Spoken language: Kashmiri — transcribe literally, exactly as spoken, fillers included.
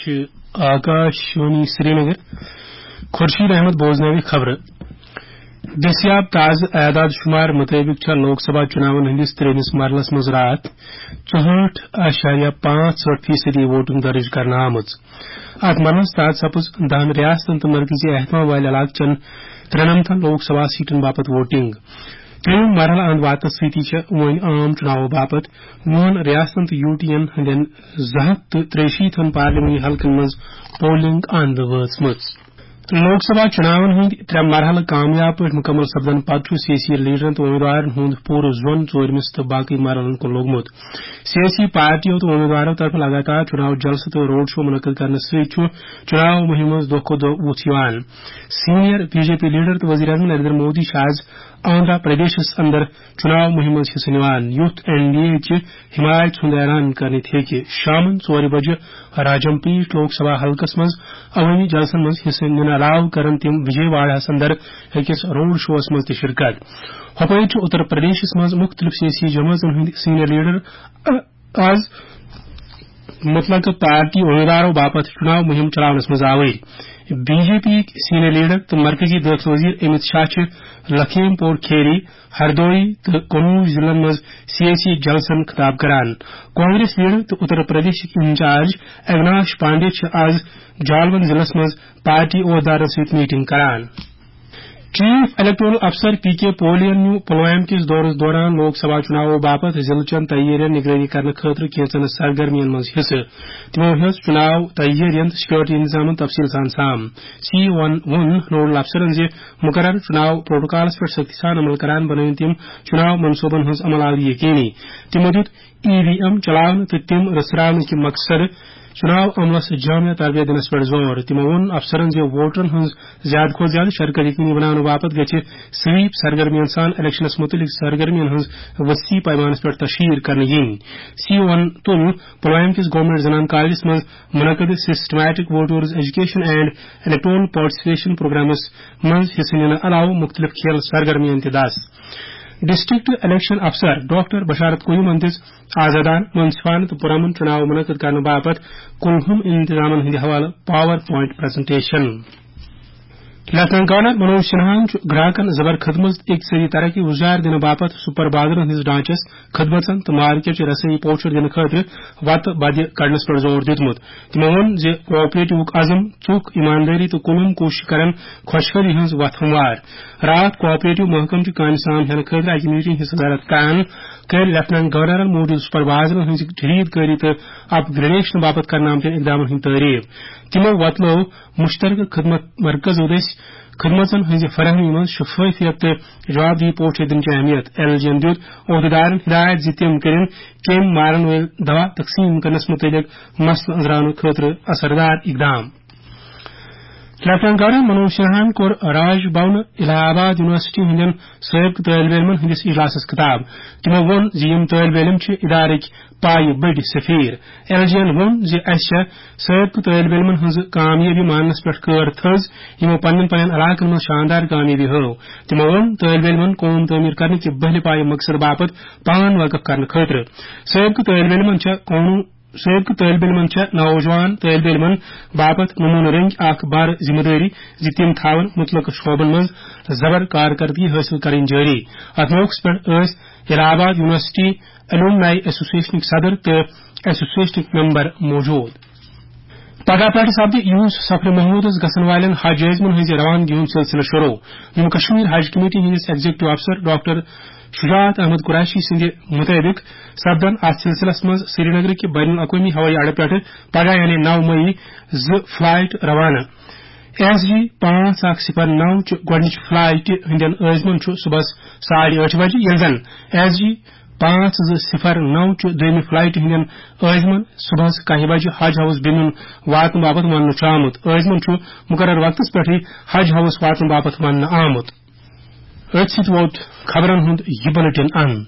چھِ آکاش وانی سرینگر۔ خورشید احمد بوزناوِ خبرٕ۔ دٔستیاب تازٕ اعداد شمار مُطٲبِق چھےٚ لوک سبھا چُناون ہٕنٛدِس ترٛیٚیمِس مرحلس منٛز راتھ ژُہٲٹھ اعشاریہ پانٛژھ ژُہٲٹھ فیصدی ووٹنگ درٕج کرنہٕ آمٕژ۔ اتھ مرحلس تحت سپٕز دہن ریاستن تہٕ مرکزی اہتمام والہِ علاقہٕ چٮ۪ن ترٛنمتن لوک سبھا سیٹن باپتھ ووٹنگ۔ ترٛیٚیِم مرحلہٕ اند واتنس سۭتی چھےٚ وۄنۍ عام چُناوو باپتھ وُہن ریاستن تہٕ یو ٹی ین ہٕنٛدٮ۪ن زٕ ہتھ تہٕ ترٛیہِ شیٖتن پارلیمانی حلقن منٛز پولنگ اند وٲژمٕژ۔ لوک سبھا چُناون ہٕنٛدۍ ترٛےٚ مرحلہٕ کامیاب پٲٹھۍ مُکمل سپدن پتہٕ چھُ سیٲسی لیڈرن تہٕ امیدوارن ہُنٛد پوٗرٕ زون ژوٗرمِس تہٕ باقٕے مرحلن کُن لوٚگمُت۔ سیٲسی پارٹیو تہٕ امیدوارو طرفہٕ لگاتار چُناو جلسہٕ تہٕ روڈ شو منعقد کرنہٕ سۭتۍ چھُ چُناو مُہِم منٛز دۄہ کھۄتہٕ دۄہ وُژھ یِوان۔ Senior B J P leader تہٕ وزیر اعظم نریندر مودی چھِ آز آندھرا پردیشس اندر چُناو مُہِم منٛز حصہٕ نِوان، یُتھ این ڈی اے چہِ حمایت ہُنٛد اعلان کرنہٕ تہِ ہیٚکہِ۔ شامن ژورِ بجہِ راجم پیٹ لوک سبھا حلقس منٛز عوٲمی جلسن منٛز حصہٕ نِنہٕ علاوٕ کرن تِم وجے واڑہس اندر أکِس روڈ شوس منٛز تہِ شرکت۔ ہۄپٲرۍ چھُ اتر پردیشس منٛز مُختٔلِف سیٲسی جمٲژن ہٕنٛدۍ سینئر لیڈر آز مطلقہٕ پارٹی امیدوارو باپتھ چُناو مُہِم چلاونس منٛز آوٕرۍ۔ بی جے پی یِکۍ سینئر لیڈر تہٕ مرکزی دٲخلہٕ وزیر امت شاہ چھِ لکھیم پور کھیری، ہردوئی تہٕ قنوج ضلعن منٛز سیٲسی جلسن خطاب کران۔ کانگریس لیڈر تہٕ اتر پردیشٕکۍ انچارج اویناش پانڈے چھِ آز جالون ضلعس منٛز پارٹی عہدیدارن سۭتۍ میٹنگ کران۔ چیف الیکٹورل افسر پی کے پولین نیوٗ پلوامہ کِس دورس دوران لوک سبھا چُناوو باپتھ ضلعہٕ چٮ۪ن تیٲرین نگرٲنی کرنہٕ خٲطرٕ کینٛژن سرگرمین منٛز حصہٕ۔ تِمو ہیٚژ چُناو تیٲرین تہٕ سیکورٹی انتظامن تفصیل سان سام۔ سی وَن ووٚن نوڈل افسرن زِ مُقررٕ چُناو پروٹوکالس پٮ۪ٹھ سختی سان عمل کران بنٲوِن تِم چُناو منصوبن ہٕنٛز عمل آوری یقینی۔ تِمو دیُت ای وی ایم چلاونہٕ تہٕ تِم رژھراونہٕ کہِ مقصدٕ چُناو عملس جامع تربیت دِنس پٮ۪ٹھ زور۔ تِمو ووٚن افسرن زِ ووٹرن ہٕنٛز زیادٕ کھۄتہٕ زیادٕ شرکت یقینی بناونہٕ باپتھ گژھِ سویپ سرگرمین سان الیکشنس مُتعلق سرگرمین ہٕنٛز وسیع پیمانس پٮ۪ٹھ تشہیر کرنہٕ یِنۍ۔ سی وَن تُل پلوامہ کِس گورنمنٹ زنان کالجس منٛز منعقد systematic voters education and electoral participation پروگرامس منٛز حصہٕ نِنہٕ علاوٕ مُختٔلِف کھیل سرگرمین تہِ دس۔ ڈسٹرکٹ الیکشن افسر ڈاکٹر بشارت قیومن دِژ آزادانہٕ، منصفانہٕ تہٕ پُرامن چُناو منعقد کرنہٕ باپتھ کُلہُم انتظامن ہٕنٛدِ حوالہٕ PowerPoint presentation. Lieutenant governor Manoj سنہاہن چھُ گراہکن زبر خدمت، اقتصٲدی ترقی ہُشدار دِنہٕ باپتھ سپر بازرن ہٕنٛدِس ڈھانچس، خدمژن تہٕ مارکیٹ چہِ رسٲیی پوچھر دِنہٕ خٲطرٕ وتہٕ بدِ کڑنس پٮ۪ٹھ زور دیُتمُت۔ تِمو ووٚن زِ کوآپریٹیوُک عزم، ژُکھ، ایماندٲری تہٕ کُلہُم کوٗشش کرن خۄشحٲلی ہٕنٛز وتھ ہموار۔ راتھ کوآپریٹو محکمہٕ چہِ کامہِ سام ہینہٕ خٲطرٕ اکہِ میٹنگ ہٕنٛز صدارت کران کٔر لیفٹیننٹ گورنرن موجودٕ سپر بازرن ہٕنٛزِ جدید کٲری تہٕ اپ گریڈیشن باپتھ کرنہٕ آمتٮ۪ن اقدامن ہٕنٛز تعریف۔ تِمو وۄتلٲو مشترکہٕ خدمت مرکزو دٔسۍ خدمژن ہٕنٛزِ فراہمی منٛز شفافیت تہٕ جوابدہی پوچھر دِنٕچ اہمیت۔ ایل جی ین دیُت عہدیدارن ہدایت زِ تِم کٔرِن کیمۍ مارن وٲلۍ دوا تقسیٖم کرنس مُتعلق مسلہٕ أنٛزراونہٕ خٲطرٕ اثردار اقدام۔ لیفٹیننٹ گورنر منوج سنہاہن کوٚر راج بھون الہ آباد یونیورسٹی ہٕنٛدٮ۪ن سٲبقہٕ طٲلبہِ علمن ہٕنٛدِس اجلاسس خطاب۔ تِمو ووٚن زِ یِم طٲلبہِ علم چھِ ادارٕکۍ پایہِ بٔڑۍ سفیر۔ ایل جی ین ووٚن زِ اسہِ چھےٚ سٲبقہٕ طٲلبہِ علمن ہٕنٛز کامیٲبی ماننس پٮ۪ٹھ کٲر تھٔز، یِمو پننٮ۪ن پننٮ۪ن علاقن منٛز شاندار کامیٲبی ہٲو۔ تِمو ووٚن طٲلبہِ علمن قوم تعمیٖر کرنہٕ کہِ بٔہلہِ پایہِ مقصد باپتھ پان وقف کرنہٕ خٲطرٕ۔ سٲبقہٕ طٲلبہِ علمن چھےٚ قونوٗن سٲبقہٕ طٲلبہِ علمن چھےٚ نوجوان طٲلبہِ علمن باپتھ نموٗنہٕ رٔنگۍ اکھ بار ذمہٕ دٲری زِ تِم تھاون مُتلقہٕ شعبن منٛز زبر کارکردگی حٲصِل کرٕنۍ جٲری۔ اتھ موقعس پٮ۪ٹھ ٲسۍ الہ آباد یونیورسٹی الومنائی ایسوسیشنٕکۍ صدر تہٕ ایسوسیشنٕکۍ ممبر موجود۔ پگہہ پٮ۪ٹھٕ سپدِ یوٗس سفر محمودس گژھن والٮ۪ن حج عٲزمن ہٕنٛزِ روانگی ہُنٛد سلسلہٕ شروع۔ جموں کشمیر حج کمیٹی ہٕنٛدِس ایگزیکٹو افسر ڈاکٹر شجاعت احمد قریشی سٕنٛدِ مُطٲبِق سپدن اتھ سلسلس منٛز سرینگرٕ کہِ بین الاقوٲمی ہوٲیی اڈٕ پٮ۪ٹھٕ پگاہ یعنی نو مئی زٕ فلائٹ روانہٕ۔ ایس جی پانٛژھ اکھ صفر نو چہِ گۄڈٕنِچہِ فلائٹہِ ہٕنٛدٮ۪ن عٲزمن چھُ صُبحس ساڑِ ٲٹھِ بجہِ، ییٚلہِ زن ایس جی پانٛژھ زٕ صفر نو چہِ دوٚیمہِ فلائٹہِ ہٕنٛدٮ۪ن عٲزمن صُبحس کاہہِ بجہِ حج ہاوس بِنُن واتنہٕ باپتھ وننہٕ چھُ آمُت۔ عٲزمن چھُ مُقرر وقتس پٮ۪ٹھٕے حج ہاوس واتنہٕ باپتھ وننہٕ آمُت۔ أتھۍ سۭتۍ ووت خبرن ہُنٛد یہِ بُلٹن اند۔